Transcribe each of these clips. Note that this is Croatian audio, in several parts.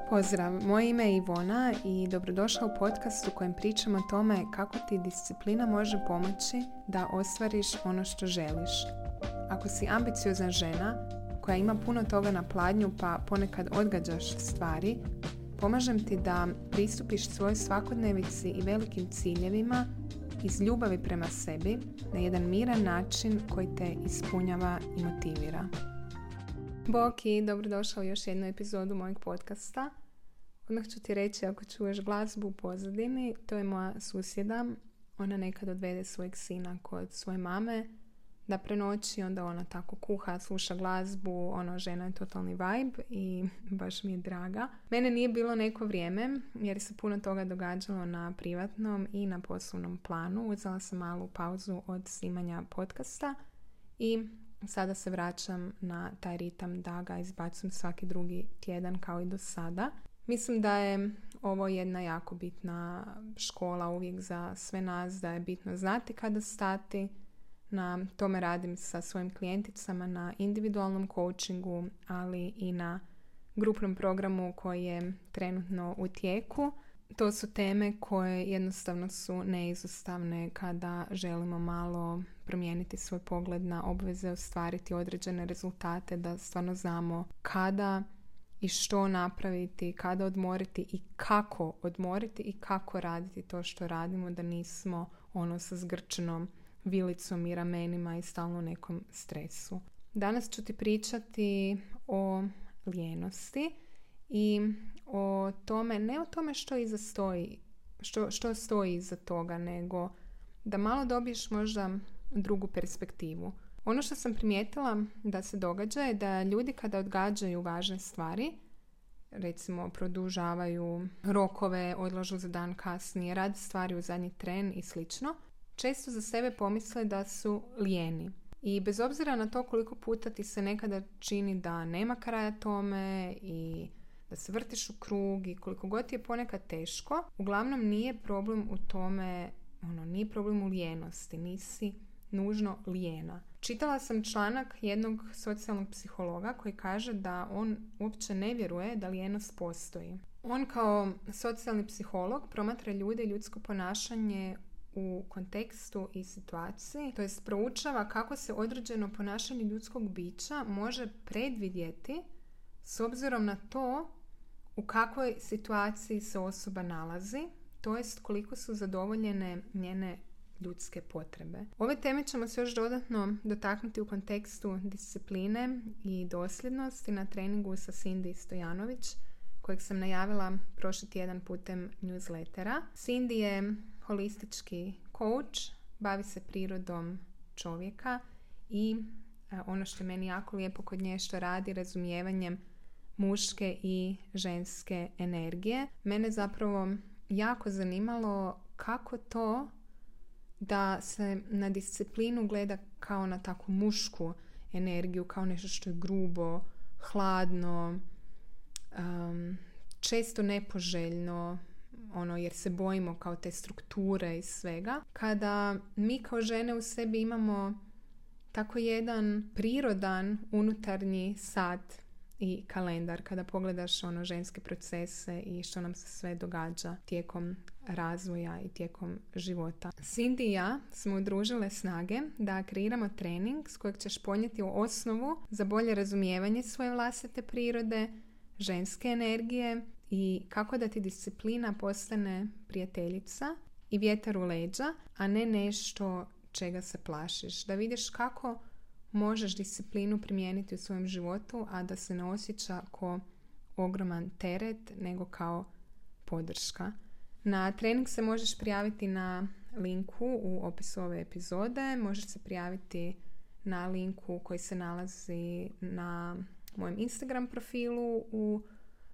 Pozdrav, moje ime je Ivona i dobrodošla u podcast u kojem pričam o tome kako ti disciplina može pomoći da ostvariš ono što želiš. Ako si ambiciozna žena koja ima puno toga na pladnju pa ponekad odgađaš stvari, pomažem ti da pristupiš svojoj svakodnevici i velikim ciljevima iz ljubavi prema sebi na jedan miran način koji te ispunjava i motivira. Bok i dobrodošao u još jednu epizodu mojeg podcasta. Odmah ću ti reći, ako čuješ glazbu u pozadini, to je moja susjeda. Ona nekad odvede svojeg sina kod svoje mame da prenoći, onda ona tako kuha, sluša glazbu, žena je totalni vibe i baš mi je draga. Mene nije bilo neko vrijeme jer se puno toga događalo na privatnom i na poslovnom planu. Uzela sam malu pauzu od snimanja podcasta i sada se vraćam na taj ritam da ga izbacujem svaki drugi tjedan kao i do sada. Mislim da je ovo jedna jako bitna škola uvijek za sve nas, da je bitno znati kada stati. Na tome radim sa svojim klijenticama na individualnom coachingu, ali i na grupnom programu koji je trenutno u tijeku. To su teme koje jednostavno su neizostavne kada želimo malo promijeniti svoj pogled na obveze, ostvariti određene rezultate, da stvarno znamo kada i što napraviti, kada odmoriti i kako odmoriti i kako raditi to što radimo, da nismo sa zgrčenom vilicom i ramenima i stalno nekom stresu. Danas ću ti pričati o lijenosti i o tome, ne o tome što iza stoji, što stoji iza toga, nego da malo dobiješ možda drugu perspektivu. Ono što sam primijetila da se događa je da ljudi kada odgađaju važne stvari, recimo produžavaju rokove, odlažu za dan kasnije, rade stvari u zadnji tren i slično, često za sebe pomisle da su lijeni. I bez obzira na to koliko puta ti se nekada čini da nema kraja tome i da se vrtiš u krug i koliko god ti je ponekad teško, uglavnom nije problem u tome, nije problem u lijenosti, nisi nužno lijena. Čitala sam članak jednog socijalnog psihologa koji kaže da on uopće ne vjeruje da lijenost postoji. On kao socijalni psiholog promatra ljude i ljudsko ponašanje u kontekstu i situaciji, to jest proučava kako se određeno ponašanje ljudskog bića može predvidjeti s obzirom na to u kakvoj situaciji se osoba nalazi, to jest koliko su zadovoljene njene ljudske potrebe. Ove teme ćemo se još dodatno dotaknuti u kontekstu discipline i dosljednosti na treningu sa Cindy Stojanović, kojeg sam najavila prošli tjedan putem newslettera. Cindy je holistički coach, bavi se prirodom čovjeka i ono što je meni jako lijepo kod nje što radi razumijevanjem muške i ženske energije. Mene zapravo jako zanimalo kako to da se na disciplinu gleda kao na takvu mušku energiju, kao nešto što je grubo, hladno, često nepoželjno, jer se bojimo kao te strukture i svega. Kada mi kao žene u sebi imamo tako jedan prirodan unutarnji sat i kalendar, kada pogledaš ženske procese i što nam se sve događa tijekom razvoja i tijekom života. Cindy i ja smo udružile snage da kreiramo trening s kojeg ćeš ponijeti u osnovu za bolje razumijevanje svoje vlastite prirode, ženske energije i kako da ti disciplina postane prijateljica i vjetar u leđa, a ne nešto čega se plašiš. Da vidiš kako možeš disciplinu primijeniti u svojem životu, a da se ne osjeća kao ogroman teret, nego kao podrška. Na trening se možeš prijaviti na linku u opisu ove epizode. Možeš se prijaviti na linku koji se nalazi na mojem Instagram profilu u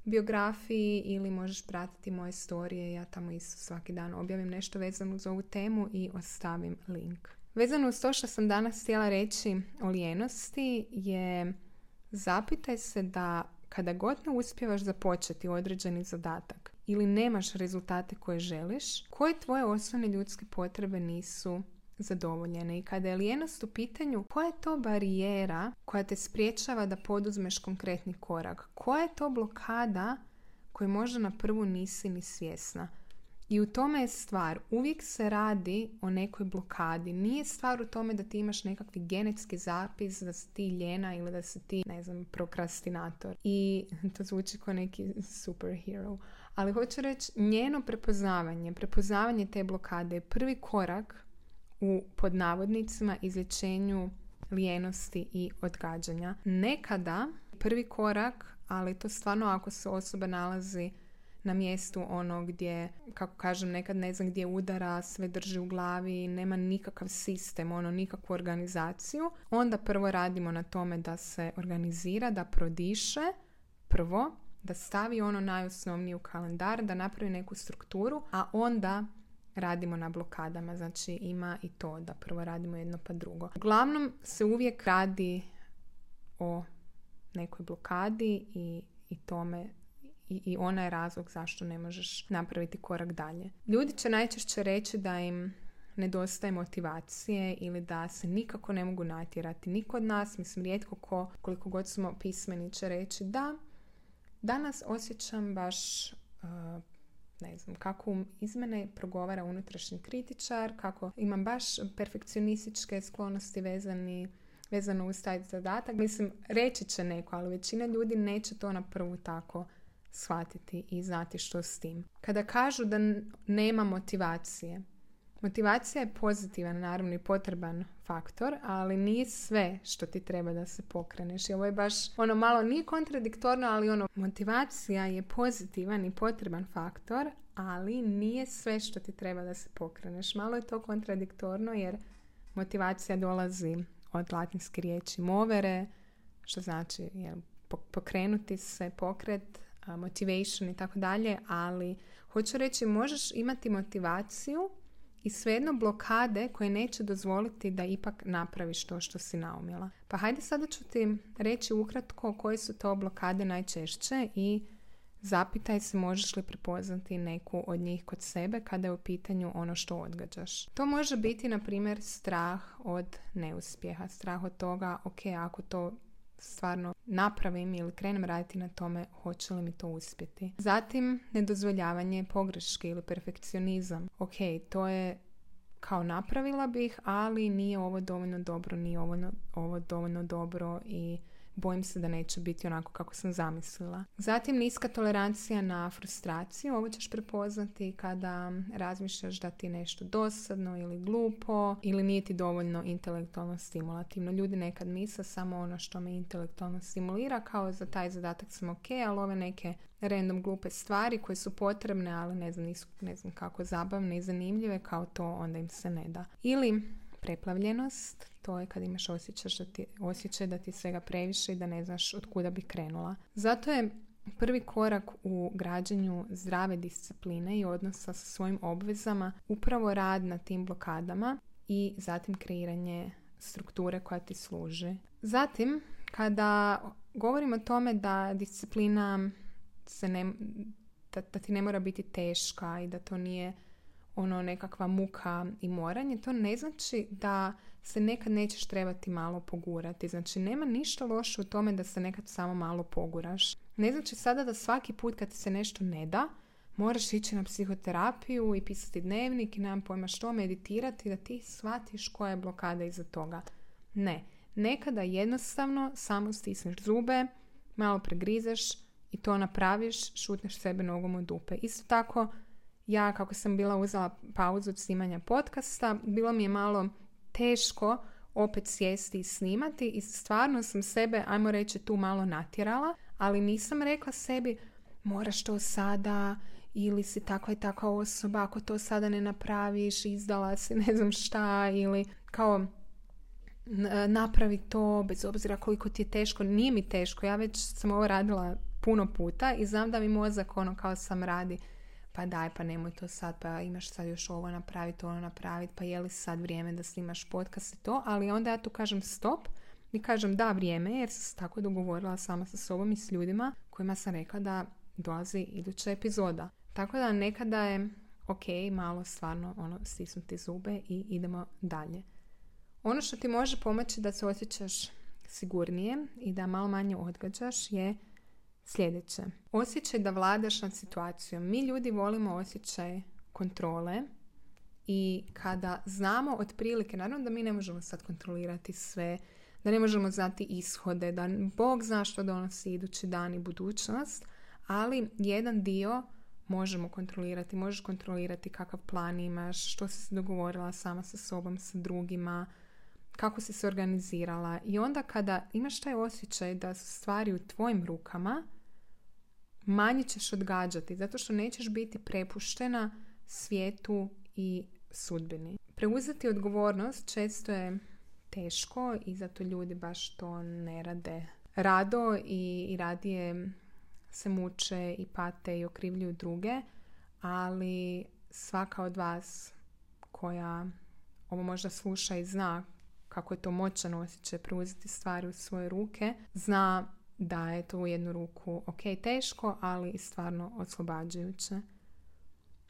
biografiji ili možeš pratiti moje storije. Ja tamo isto svaki dan objavim nešto vezano uz ovu temu i ostavim link. Vezano uz to što sam danas htjela reći o lijenosti je zapitaj se da kada god ne uspijevaš započeti određeni zadatak ili nemaš rezultate koje želiš, koje tvoje osnovne ljudske potrebe nisu zadovoljene. I kada je lijenost u pitanju, koja je to barijera koja te spriječava da poduzmeš konkretni korak? Koja je to blokada koje možda na prvu nisi ni svjesna. I u tome je stvar. Uvijek se radi o nekoj blokadi. Nije stvar u tome da ti imaš nekakvi genetski zapis, da si ti ljena ili da si ti, prokrastinator. I to zvuči kao neki superhero. Ali hoću reći, njeno prepoznavanje te blokade je prvi korak u, pod navodnicima, izlječenju lijenosti i odgađanja. Nekada prvi korak, ali to stvarno ako se osoba nalazi na mjestu gdje, kako kažem, nekad ne znam gdje udara, sve drži u glavi, nema nikakav sistem, nikakvu organizaciju, onda prvo radimo na tome da se organizira, da prodiše prvo, da stavi najosnovnije u kalendar, da napravi neku strukturu, a onda radimo na blokadama. Znači ima i to da prvo radimo jedno pa drugo. Uglavnom se uvijek radi o nekoj blokadi i tome i ona je razlog zašto ne možeš napraviti korak dalje. Ljudi će najčešće reći da im nedostaje motivacije ili da se nikako ne mogu natjerati. Niko od nas, rijetko ko, koliko god smo pismeni, će reći da danas osjećam baš kako iz mene progovara unutrašnji kritičar, kako imam baš perfekcionističke sklonosti vezano uz taj zadatak. Reći će neko, ali većina ljudi neće to na prvu tako shvatiti i znati što s tim. Kada kažu da nema motivacija je pozitivan, naravno i potreban faktor, ali nije sve što ti treba da se pokreneš. I ovo je baš malo nije kontradiktorno, ali motivacija je pozitivan i potreban faktor, ali nije sve što ti treba da se pokreneš. Malo je to kontradiktorno jer motivacija dolazi od latinske riječi movere, što znači pokrenuti se, pokret, motivation i tako dalje, ali hoću reći, možeš imati motivaciju i svejedno blokade koje neće dozvoliti da ipak napraviš to što si naumila. Pa hajde sada ću ti reći ukratko koje su to blokade najčešće i zapitaj se možeš li prepoznati neku od njih kod sebe kada je u pitanju ono što odgađaš. To može biti, na primjer, strah od neuspjeha, strah od toga, ok, ako to stvarno napravim ili krenem raditi na tome, hoće li mi to uspjeti. Zatim, nedozvoljavanje pogreške ili perfekcionizam. Ok, to je kao napravila bih, ali nije ovo dovoljno dobro, nije ovo dovoljno dobro i bojim se da neće biti onako kako sam zamislila. Zatim, niska tolerancija na frustraciju. Ovo ćeš prepoznati kada razmišljaš da ti je nešto dosadno ili glupo ili nije ti dovoljno intelektualno stimulativno. Ljudi nekad misle samo ono što me intelektualno stimulira, kao za taj zadatak sam ok, ali ove neke random glupe stvari koje su potrebne, ali nisu kako zabavne i zanimljive, kao to onda im se ne da. Ili preplavljenost, to je kad imaš osjećaj da ti svega previše i da ne znaš od kuda bi krenula. Zato je prvi korak u građenju zdrave discipline i odnosa sa svojim obvezama upravo rad na tim blokadama i zatim kreiranje strukture koja ti služi. Zatim, kada govorim o tome da disciplina da ti ne mora biti teška i da to nije nekakva muka i moranje, to ne znači da se nekad nećeš trebati malo pogurati. Znači, nema ništa loše u tome da se nekad samo malo poguraš. Ne znači sada da svaki put kad ti se nešto ne da, moraš ići na psihoterapiju i pisati dnevnik i nemam pojma što, meditirati, da ti shvatiš koja je blokada iza toga. Ne. Nekada jednostavno samo stisneš zube, malo pregrizeš i to napraviš, šutneš sebe nogom u dupe. Isto tako, ja kako sam bila uzela pauzu od snimanja podcasta, bilo mi je malo teško opet sjesti i snimati i stvarno sam sebe, ajmo reći, tu malo natjerala, ali nisam rekla sebi moraš to sada ili si takva i takva osoba, ako to sada ne napraviš, izdala si ne znam šta ili kao napravi to bez obzira koliko ti je teško. Nije mi teško, ja već sam ovo radila puno puta i znam da mi mozak kao sam radi pa daj, pa nemoj to sad, pa imaš sad još ovo napraviti, ono napraviti, pa je li sad vrijeme da snimaš podcast i to, ali onda ja tu kažem stop i kažem da, vrijeme, jer sam se tako dogovorila sama sa sobom i s ljudima kojima sam rekla da dolazi iduća epizoda. Tako da nekada je ok, malo stvarno stisnuti zube i idemo dalje. Ono što ti može pomoći da se osjećaš sigurnije i da malo manje odgađaš je Sljedeće. Osjećaj da vladaš nad situacijom. Mi ljudi volimo osjećaj kontrole i kada znamo otprilike, naravno da mi ne možemo sad kontrolirati sve, da ne možemo znati ishode, da Bog zna što donosi idući dan i budućnost, ali jedan dio možemo kontrolirati. Možeš kontrolirati kakav plan imaš, što si se dogovorila sama sa sobom, sa drugima, kako si se organizirala. I onda kada imaš taj osjećaj da su stvari u tvojim rukama, manje ćeš odgađati, zato što nećeš biti prepuštena svijetu i sudbini. Preuzeti odgovornost često je teško i zato ljudi baš to ne rade rado i radije se muče i pate i okrivljuju druge, ali svaka od vas koja ovo možda sluša i zna kako je to moćan osjećaj preuzeti stvari u svoje ruke, zna da je to u jednu ruku ok, teško, ali i stvarno oslobađajuće.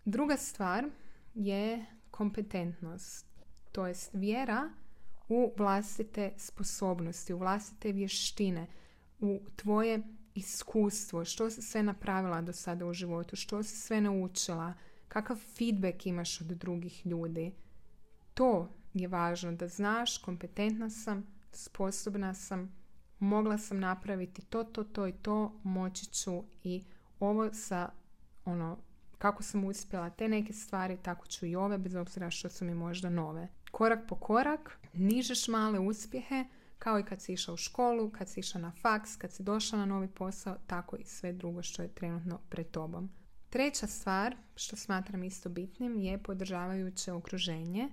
Druga stvar je kompetentnost, to jest vjera u vlastite sposobnosti, u vlastite vještine, u tvoje iskustvo, što si sve napravila do sada u životu, što si sve naučila, kakav feedback imaš od drugih ljudi. To je važno, da znaš, kompetentna sam, sposobna sam, mogla sam napraviti to i to, moći ću i ovo sa kako sam uspjela te neke stvari, tako ću i ove, bez obzira što su mi možda nove. Korak po korak, nižeš male uspjehe, kao i kad si išla u školu, kad si išla na faks, kad si došla na novi posao, tako i sve drugo što je trenutno pred tobom. Treća stvar, što smatram isto bitnim, je podržavajuće okruženje.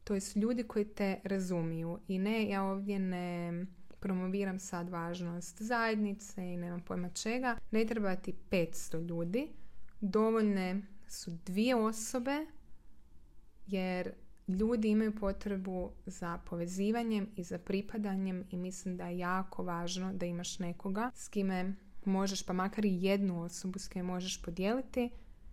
To jest ljudi koji te razumiju. I ne, ja ovdje ne promoviram sad važnost zajednice i nemam pojma čega. Ne treba ti 500 ljudi. Dovoljne su 2 osobe, jer ljudi imaju potrebu za povezivanjem i za pripadanjem i mislim da je jako važno da imaš nekoga s kime možeš, pa makar i jednu osobu s kime možeš podijeliti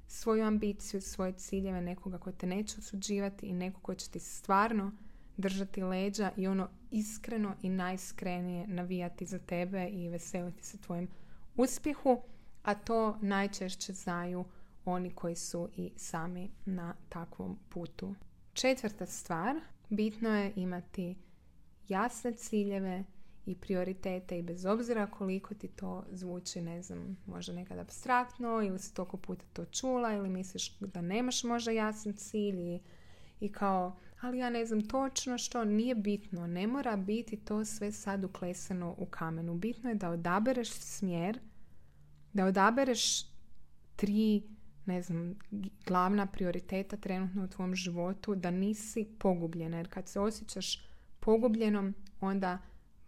svoju ambiciju, svoje ciljeve, nekoga ko te neće osuđivati i neko ko će ti stvarno držati leđa i iskreno i najiskrenije navijati za tebe i veseliti se tvojim uspjehu, a to najčešće znaju oni koji su i sami na takvom putu. 4. stvar, bitno je imati jasne ciljeve i prioritete i bez obzira koliko ti to zvuči, ne znam, možda nekad apstraktno ili si toliko puta to čula ili misliš da nemaš možda jasan cilj i kao, ali ja ne znam točno što, nije bitno, ne mora biti to sve sad uklesano u kamenu. Bitno je da odabereš smjer, da odabereš 3, ne znam, glavna prioriteta trenutno u tvom životu, da nisi pogubljena. Jer kad se osjećaš pogubljenom, onda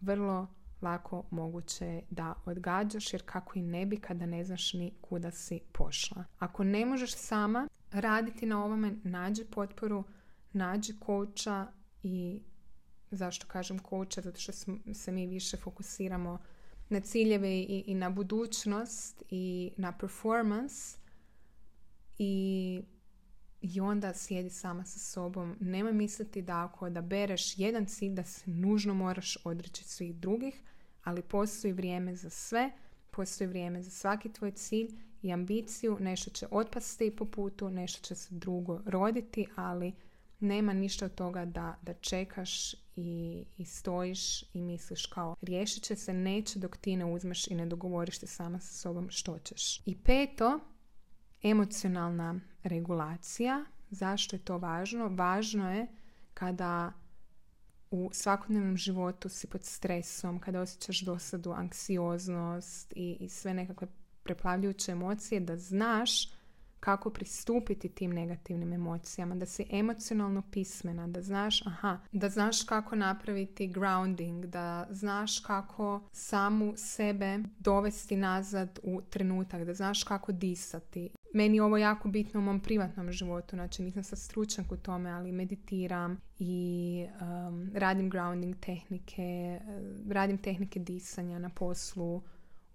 vrlo lako moguće da odgađaš, jer kako i ne bi kada ne znaš ni kuda si pošla. Ako ne možeš sama raditi na ovome, nađi potporu, nađi coacha. I zašto kažem coacha? Zato što se mi više fokusiramo na ciljeve i na budućnost i na performance i onda sjedi sama sa sobom. Nemoj misliti da ako odabereš jedan cilj da se nužno moraš odreći svih drugih, ali postoji vrijeme za sve, postoji vrijeme za svaki tvoj cilj i ambiciju. Nešto će otpasti po putu, nešto će se drugo roditi, ali nema ništa od toga da čekaš i stojiš i misliš kao riješit će se, neće dok ti ne uzmeš i ne dogovoriš te sama sa sobom što ćeš. I 5. emocionalna regulacija. Zašto je to važno? Važno je kada u svakodnevnom životu si pod stresom, kada osjećaš dosadu, anksioznost i sve nekakve preplavljujuće emocije, da znaš kako pristupiti tim negativnim emocijama, da si emocionalno pismena, da znaš kako napraviti grounding, da znaš kako samu sebe dovesti nazad u trenutak, da znaš kako disati. Meni je ovo jako bitno u mom privatnom životu, znači nisam sad stručnjak u tome, ali meditiram i radim grounding tehnike, radim tehnike disanja na poslu,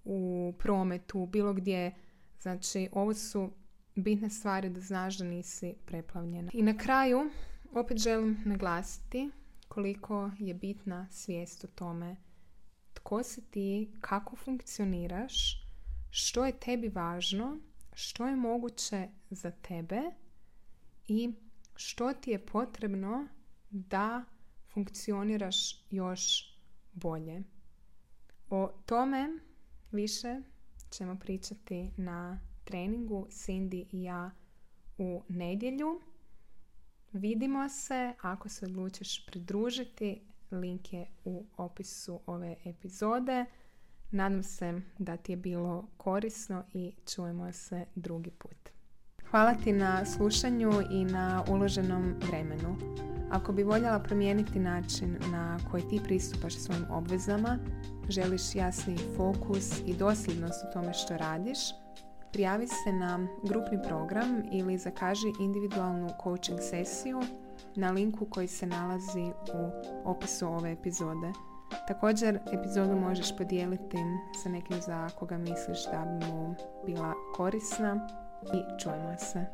u prometu, bilo gdje. Znači, ovo su bitne stvari da znaš da nisi preplavljena. I na kraju, opet želim naglasiti koliko je bitna svijest o tome tko si ti, kako funkcioniraš, što je tebi važno, što je moguće za tebe i što ti je potrebno da funkcioniraš još bolje. O tome više ćemo pričati na treningu Cindy i ja u nedjelju. Vidimo se ako se odlučiš pridružiti. Link je u opisu ove epizode. Nadam se da ti je bilo korisno i čujemo se drugi put. Hvala ti na slušanju i na uloženom vremenu. Ako bi voljela promijeniti način na koji ti pristupaš svojim obvezama, želiš jasni fokus i dosljednost u tome što radiš, prijavi se na grupni program ili zakaži individualnu coaching sesiju na linku koji se nalazi u opisu ove epizode. Također, epizodu možeš podijeliti sa nekim za koga misliš da bi mu bila korisna i čujemo se.